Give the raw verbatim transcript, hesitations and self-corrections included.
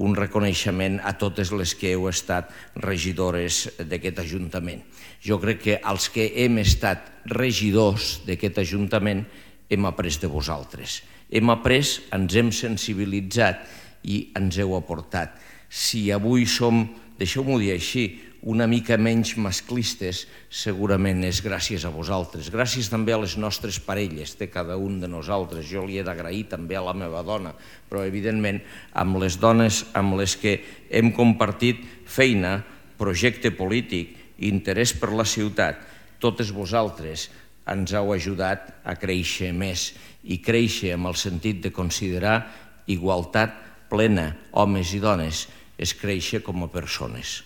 un reconeixement a totes les que heu estat regidores d'aquest Ajuntament. Jo crec que els que hem estat regidors d'aquest Ajuntament hem après de vosaltres. Hem après, ens hem sensibilitzat i ens heu aportat. Si avui som, deixeu-m'ho dir així, una mica menys masclistes, segurament és gràcies a vosaltres. Gràcies també a les nostres parelles, de cada un de nosaltres. Jo li he d'agrair també a la meva dona, però evidentment amb les dones amb les que hem compartit feina, projecte polític, interès per la ciutat, totes vosaltres ens heu ajudat a créixer més i créixer amb el sentit de considerar igualtat plena, homes i dones, és créixer com a persones.